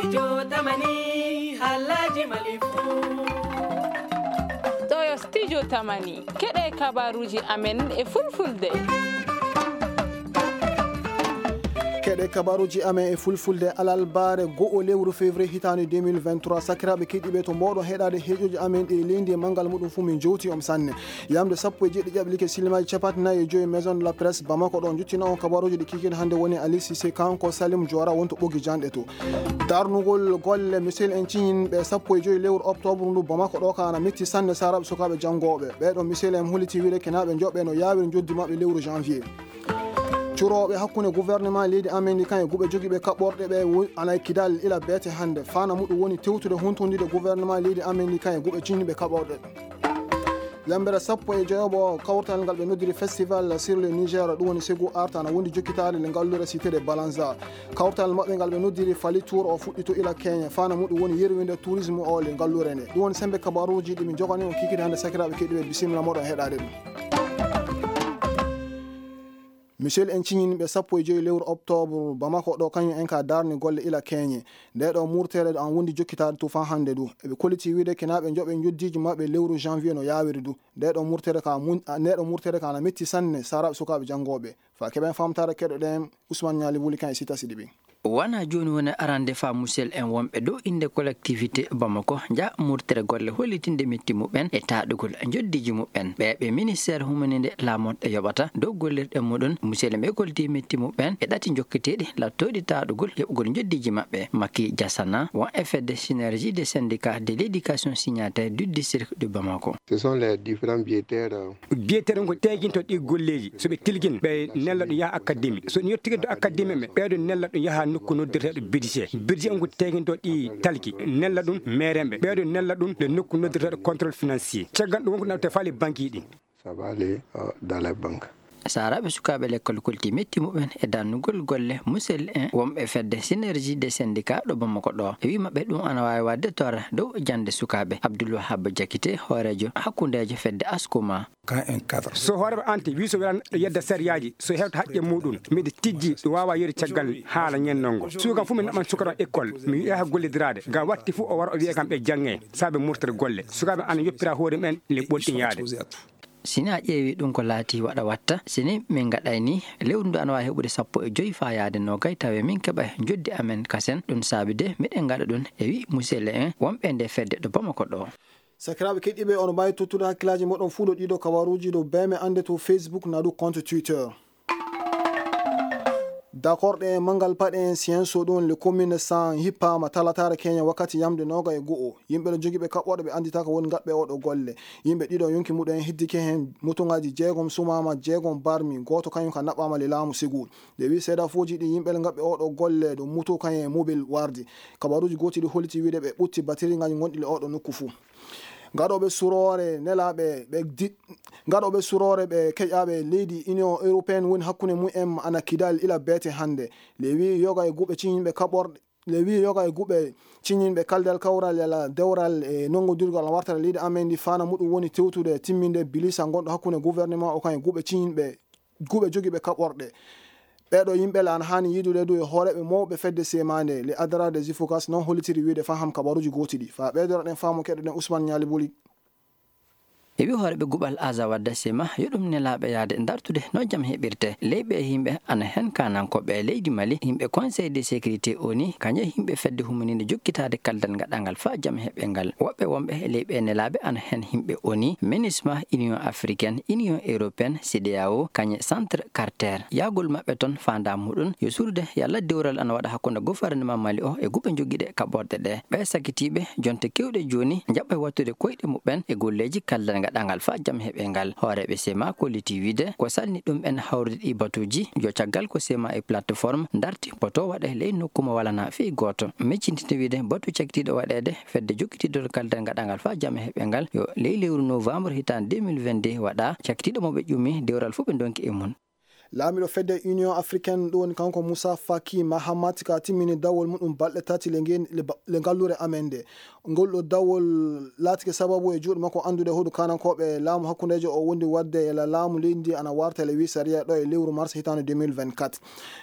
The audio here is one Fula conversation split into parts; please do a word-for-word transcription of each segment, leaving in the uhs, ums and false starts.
Studio Tamani, halaji malifu. Ɗo yo Studio Tamani, keɗe kabaruji amen e fulfulde. Keɗe kabaruji amen e fulfulde alalbaare go'o lewru février hitaande deux mille vingt-trois. Sakiraaɓe keɗiiɓe, to mboɗo heɗaade heeƴoji amen ɗi leydi e manngal muɗum fuu, min jowti on sanne. Yamde sappo e jeeɗiɗi ƴaɓli ke silimaaji capanɗe nayi e joyi Maison de la Presse Bamako ɗo njottina on kabaruji ɗi kikiiɗe hannde woni Ali Cissé, kanko Salim Diora wonto ɓoggi janɗe to. Darnugol golle misel en ciñin ɓe sappo e joyi lewru octobre ndu Bamako ɗo ka ana metti sanne saraɓe sukaaɓe janngooɓe. Ɓeɗo misel en holliti wiide kenaaɓe njoɓɓe no yaawiri njoddi maɓɓe lewru janvier. Curooɓe hakkunde gouvernement leydi Amerique e guɓe jogiiɓe kaɓɓorɗe ɓe wo-, ana e Kidal ila beete hannde. Fana muɗum woni tewtude huntondire gouvernement leydi Amerique e guɓe ciñiiɓe kaɓɓorɗe. Yambere sappo e joyoɓo kawtal ngal ɓe noddiri Festival sur le Niger, ɗum woni Ségou Art, ana wondi jokkitaade le ngallure Cité de Balanza. Kawtal maɓɓe ngal ɓe noddiri Fally Tour o fuɗɗito ila Kenya. Fana muɗum woni yerwinde tourisme o le ngallure nde. Ɗum woni sembe kabaruuji ɗi min jogani on kikiiɗe hannde sakiraaɓe keɗiiɓe, bisimilla moɗon heɗaade ɗum. Misel en ciñinɓe sappo e joyi lewru octobre Bamako ɗo, kañum en ka darni golle ila keñe. Nde ɗo murtere ɗo an wondi jokkitaade tufan hannde du. Eɓe kolliti wiide kenaaɓe njoɓe njoddiiji maɓɓe lewru janvier no yaawiri du. Nde ɗo murtere ka mun-, a, nde ɗo murtere ka na metti sanne saraɓe sukaaɓe janngooɓe. Fa keɓen famtaare keɗoɗen Ousmane Ñaali Wuli kan e Sita Sidibi. Wona jooni woni arande fa musel en wonɓe dow innde collectivité Bamako nja murtere golle hollitinde metti muɓɓen e taɗugol njoddiiji muɓɓen. Ɓe ɓe ministère humaninde laamoɗe yoɓata dow gollirɗe muɗum, musel en ɓe goldi metti muɓɓen e ɗati jokketeeɗi lattooɗi taɗugol yoɓugol njoddiiji maɓɓe. Maki Jasana won e fedde Synergie des syndicats de l'éducation signataire du district de Bamako. Ce sont les différents biétaires, euh, Biyeteeɗo ngo teeginto ɗi golleeji, so ɓe tilgin, ɓe nella ɗum yaha académie. So ɗum yettiginto académie, ɓe ɓeydo nella ɗum yaha nokku noddirteeɗo budget. Budget ngo teeginto ɗi talki, nella ɗum meerenɓe, ɓeydo nella ɗum le nokku noddirteeɗo contrôle financier. Caggal ɗum wonko nawte faale banque ɗi. Ça va aller, euh, dans les banques. Saaraaɓe sukaaɓe lekkol kolti metti muɓɓen e dannugol golle musel en wonɓe fedde Synergie des syndicats ɗo Bamako ɗo. E wii maɓɓe ɗum ana waawi waɗde torra dow jannde sukaaɓe. Abdoul Wahab Diakité, hooreejo hakkundeejo fedde Askuma. Quand un cadre. So hooreeɓe ante wi so welan ɗo yedda sariyaaji, so hewta haqqe muɗum, miɗo tijji ɗo waawa yeru caggal haala ñennongo. Suukan fof mi naɓan sukara école, mi wi'a ha gollidiraade. Ga watti fof o wara o wi'a kam ɓe jannge, saabe murtere golle. Sukaaɓe ana yoppira hoore mumen le ɓolɗin yaade. Sini a ƴeewi ɗum ko laati waɗa watta, sini min ngaɗay ni, lewru ndu ana waawi heɓude sappo e joyi faa yaade noogay, tawe min keɓa njoddi amen kasen, ɗum saabi de miɗen ngaɗa ɗum, e wi muselle en wonɓe nde fedde ɗo Bamako ɗo. Sakiraaɓe keɗiiɓe, ono mbaawi tottude hakkillaaji moɗon fuu ɗo ɗiɗo kabaruuji ɗo beeme annde to Facebook naa ɗo compte Twitter. Dakorɗe e manngal paɗe en Sienso ɗum le commune san hippaama talataare keñe wakkati yamde nooga e go'o. Yimɓe no jogiiɓe kaɓɓorɗe ɓe annditaaka woni ngaɗɓe oɗo golle. Yimɓe ɗiɗo yonki muɗum en hiddike heen motongaaji jeegom sumaama, jeegom barmi, gooto kañum ka naɓɓaama le laamu Ségou. Nde wi seedafooji ɗi yimɓe ngaɗɓe oɗo golle ɗo moto kañum e mobil wardi. Kabaruuji gooti ɗi holliti wiide ɓe ɓutti batiri ngaji gonɗi le oɗo nokku fuu. Gaɗooɓe suroore nelaaɓe ɓe di-, gaɗooɓe suroore ɓe keƴaaɓe leydi Union Européenne woni hakkunde mumen ana Kidal ila beete hannde. Le wi yoga e guɓe ciñinɓe kaɓorɗe, le wi yoga e guɓe ciñinɓe kaldal kawral yala dewral e nonngodirgal wartata leydi amen ndi fana muɗum woni tewtude timminde bilisa ngonɗo hakkunde gouvernement o kan e guɓe ciñinɓe guɓe jogiiɓe kaɓorɗe. Ɓeeɗo yimɓe le ana haani yiidude du e hooreeɓe mawɓe fedde semaande, le Adara des Ifukas non hollitiri wiide faham kabaruuji gooti ɗi. Faa ɓeydoroɗen faamu keɗoɗen Ousmane Ñaali Buli. E wi hooreeɓe guɓal Aza Wadda Sema, yo ɗum nelaaɓe yaade dartude no jam heɓirte. Leyɓe e yimɓe ana heen kanankooɓe e leydi Mali, yimɓe Conseil de sécurité O N U, kañe yimɓe fedde humaninde jokkitaade kaldal ngaɗangal faa jam heɓe ngal. Woɓɓe wonɓe e leyɓe nelaaɓe ana heen yimɓe O N U, MINUSMA, Union Africaine, Union Européenne, CEDEAO, kañe Centre Carter. Yaagol maɓɓe toon faandaa muɗum yo suuɗude yalla dewral ana waɗa hakkunde gouvernement Mali o e guɓe jogiiɗe kaɓorɗe ɗe. Ɓee sakitiiɓe jonte keewɗe jooni njaɓɓay wattude koyɗe muɓɓen e golleeji kaldal ngaɗangal faa jam heɓe ngal. Hooreeɓe sema kolliti wiide ko salni ɗum en hawrude ɗi batuuji, yo caggal ko sema e plateforme darti poto waɗe ley nokku mo walana fii gooto. Miccintinde wiide batu cakitiiɗo waɗeede fedde jokkitiiɗo kaldal ngaɗangal faa jam heɓe ngal yo ley lewru novembre hitaande deux mille vingt-deux waɗa, cakitiiɗo mo ɓe ƴumi dewral fof ɓe ndonki e mum. Laamiiɗo fedde Union Africaine ɗo woni kanko Moussa Faki Mahamat ka timmini dawol muɗum balɗe tati le ngen-, le ba-, le ngalluure amen nde. Ngol ɗo dawol laatike sababu e juuɗe makko anndude hoɗu kanankooɓe laamu hakkundeejo o wondi waɗde e la-, laamu leydi ndi ana warta le huit sariya ɗo e lewru mars hitaande deux mille vingt-quatre.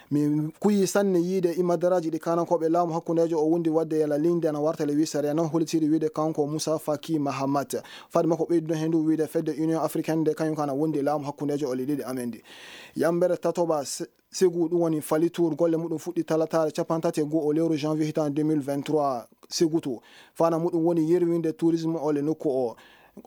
Mi kuyi sanne yiide immadaraaji ɗi kanankooɓe laamu hakkundeejo o wondi waɗde e la-, leydi ndi ana warta le huit sariya noon hollitiri wiide kanko Moussa Faki Mahamat. Fade makko ɓeydude heen ndu wiide fedde Union Africaine nde kañum ko ana wondi e laamu hakkundeejo o leydi amen ndi. Yambere tatoɓa se-, Ségou, ɗum woni Fally Tour, golle muɗum fuɗɗi talataare capanɗe tati e go'o lewru janvier hitaande deux mille vingt-trois, Ségou to. Fana muɗum woni yerwinde tourisme o le nokku o.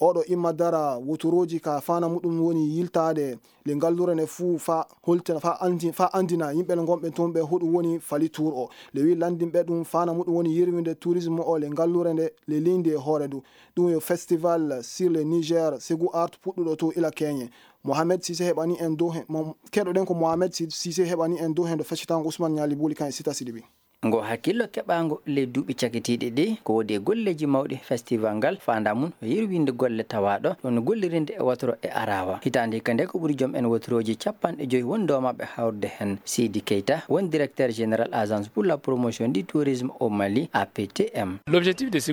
Oɗo imma dara wotorooji ka fana muɗum woni yiltaade le ngallure nde fuu fa holtina, fa andi-, fa andina yimɓe le ngonɓe toon ɓe hoɗum woni Fally Tour o. Le wi landinɓe ɗum fana muɗum woni yerwinde tourisme o le ngallure nde le leydi e hoore ndu. Ɗum yo festival sur le Niger, Ségou Art puɗɗuɗo to ila Keñe. Mohamed Cissé heɓani en dow he-, mo-, keɗoɗen ko Mohamed Si-, Cissé heɓani en dow heen ɗo feccitango Ousmane Ñaali Buli kan e Sita Sidibi. Ngo hakkillo keɓaango ley duuɓi cakitiiɗi ɗi, ko woodi e golleeji mawɗi festival ngal, faandaa mum ko yirwinde golle tawaaɗo, ɗum gollirinde e wotoro e araawa. Hitaande hikka nde ko ɓuri joom en wotorooji capanɗe joyi woni doomaaɓe hawrude heen. Seydi Keita, woni directeur général agence pour la promotion du tourisme au Mali, A P T M.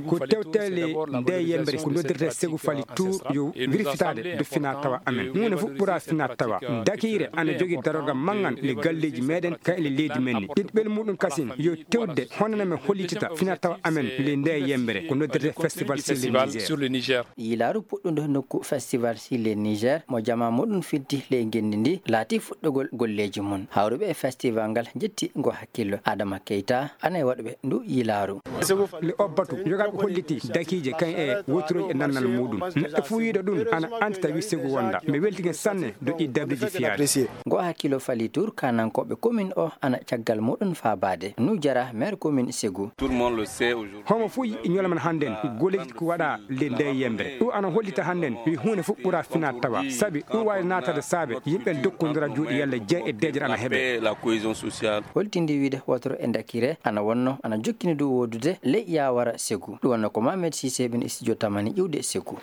Ko tewtele nde yembere ko noddirte Ségou Fally Tour yo wirfitaade do fina tawa amen. Huunde fof ɓura fina tawa. Dakiire ana jogii darorgal manngal le galleeji meɗen ka e le leydi men ni. Ɗiɗɓel muɗum kasin yo tewde honno men hollitita fina tawa amen le nde yembere ko noddirte festival sur le Niger. Yilaaru puɗɗundo nokku festival sur le Niger mo jamaa muɗum fiddi ley ngenndi ndi laati fuɗɗogol golleeji mum. Hawruɓe e festival ngal njetti ngo hakkillo. Adama Keita ana e waɗuɓe ndu yilaaru. Le obbatu yogaaɓe holliti dakiije kan e woturoji e nannal muɗum. Neɗɗo fuu yiɗo ɗum ana anndi tawi Ségou wonda. Mi weltike sanne do ɗi dabriji fiyaade. Ngo hakkillo Fally Tour kanankooɓe commune o ana caggal muɗum faabaade. Nu jara maire commune Ségou. Homo fuu yiɗi ñolama hannden golleeji ko waɗa le nde yembere. Ɗum ana hollita hannden wi huunde fof ɓura fina tawa. Sabi ɗum waawi naatade saabe yimɓe dokkondira juuɗe yalla jeya e deeƴere ana heɓe. Holtindi wiide wotoro e dakire ana wonno ana jokkini dow woodude ley Yawara Ségou. Ɗum wonno ko Mohamed Cissé ɓen e studio Tamani ƴiwde Ségou.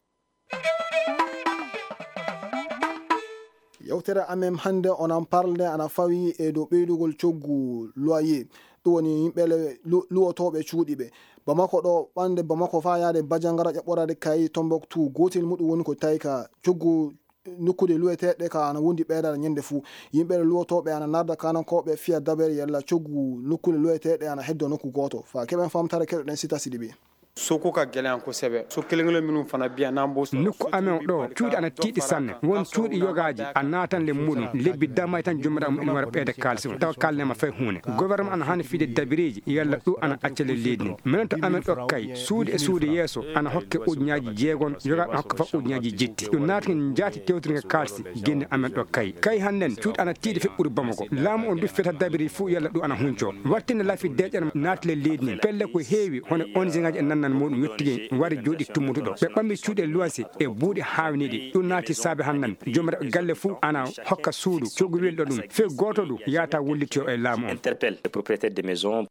Yewtere amen hannde onon parle ana fawi e dow ɓeydugol coggu loyer. Ɗum woni yimɓe le-, lu-, luwotooɓe cuuɗi ɓe. Bamako ɗo, ɓande Bamako faa yaade Bajangara ƴaɓɓoraade kay Tombouctou. Gootel muɗum woni ko tawi ka coggu nokkude luweteeɗe ka ana wondi ɓeydaade ñande fuu. Yimɓe luwotooɓe ana narda kanankooɓe fiya dabere yalla coggu nokkude luweteeɗe ana heddo nokku gooto. Faa keɓen famtare keɗoɗen Sita Sidibi. Suuku ka gɛlɛn kosɛbɛ. So kelen-kelen minnu fana bɛ yan, n'an b'o sɔrɔ. Nokku amen ɗo, cuuɗi ana tiiɗi sanne. Won cuuɗi yogaaji a naatan le muɗum. Lebbi damay tan jomiraɗo muɗum wara ɓeyda kaalisi o. Tawa kaalnema fay huunde. Gouvernement ana haani fiide dabireeji, yalla ɗum ana acca le leydi ndi. Minen to amen ɗo kay, suudu e suudu yeeso ana hokke ujunnaaji jeegom, yogaaɓe ana hokka fa ujunnaaji jetti. Ɗum naati njaati tewtirnge kaalisi, genne amen ɗo kay. Kay hannden, cuuɗi ana tiiɗi feɓɓude Bamako. Laamu on du feta dabiri fuu yalla ɗum ana hunco. Wattinde lafi deƴƴere naati le leydi ndi. Pelle ko heewi, hono O N G ngaaji e nannal muɗum yottigi wari jooɗi tummutuɗo. Ɓe ɓammi cuuɗi e luwansi e buuɗi haawniiɗi. Ɗum naati saabe hannden. Joomiraaɓe galle fuu ana hokka suudu, coggu welɗo ɗum. Fee gooto du yaata wullitiyo e laamu on. Interpelle les propriétaires de maisons.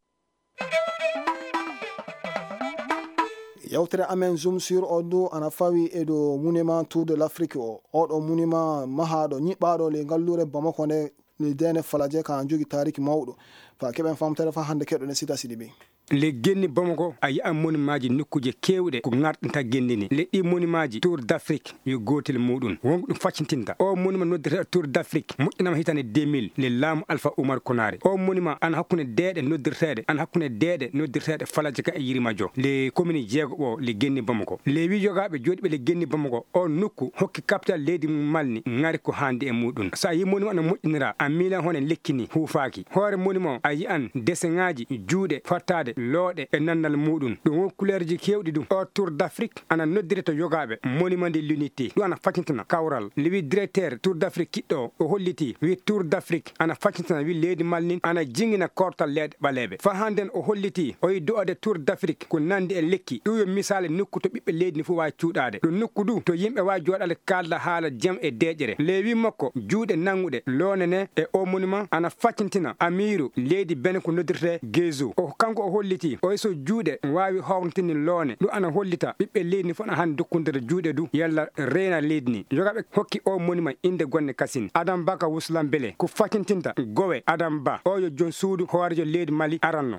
Yewtere amen Zoom sur o ndu ana fawi e dow monument Tour de l'Afrique o. Oɗo monument mahaaɗo, ñiɓɓaaɗo le ngalluure Bamako nde, le Dene Falaje ka jogi taariki mawɗo. Fa keɓen famtere fa hannde keɗoɗen Sita Sidibi. Le genni Bamako a yi'an monumentji nokkuuje keewɗe ko ŋarɗinta genni ni. Le ɗi monumentji Tour d'Afrique yo gootel muɗum. Wonko ɗum faccintinta. O monument noddirteeɗo Tour d'Afrique moƴƴinama hitaande deux mille le laamu Alpha Oumar Konaré. O monument ana hakkunde deeɗe noddirteeɗe, ana hakkunde deeɗe noddirteeɗe Falaje ka e Yirimajo. Le commune jeego o le genni Bamako. Le wi yogaaɓe jooɗiiɓe le genni Bamako. O nokku hokki capital leydi mum Mali ni ŋari ko haandi e muɗum. So a yi monument ana moƴƴinira, a miilan hono lekki ni huufaaki. Hoore monument a yi'an deseŋaaji juuɗe fattaade looɗe e nannal muɗum. Ɗum won couleurji keewɗi ɗum. O Tour d'Afrique ana noddire to yogaaɓe monument de l'unité. Ɗum ana faccintina kawral. Le wi directeur Tour d'Afrique kiɗɗo o, o holliti wi Tour d'Afrique ana faccintina wi leydi Mali nin ana jingina kortal leyɗe ɓaleeɓe. Fa hannden o holliti o yi do'ode Tour d'Afrique ko nandi e lekki. Ɗum yo misaale nokku to ɓiɓɓe leydi ni fof waawi cuuɗaade. Ɗum nokku du to yimɓe waawi jooɗaade kaalda haala jam e deeƴere. Le wi makko juuɗe nannguɗe loone ne e o monument ana faccintina amiiru leydi Benin ko noddirtee Gezo. O, kanko o Holliti oy so juuɗe waawi hawrintinde loone, ɗum ana hollita ɓiɓɓe leydi ndi fof ana haani dokkondira juuɗe du yalla reena leydi ndi. Yoga ɓe hokki o monument innde gonne kasin. Adam Baka Wuslam Bele ko fakintinta Gowe Adam Ba, o yo joom suudu hooreejo leydi Mali aranno.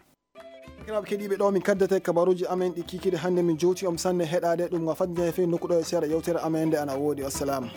Sakiraaɓe keɗiiɓe, ɗo min kaddete kabaruuji amen ɗi kiikiiɗe hannde. Min jowti on sanne heɗaade ɗum, nga fadde feewi nokku ɗo e seeɗa yewtere amen nde ana woodi. Wassalaamu.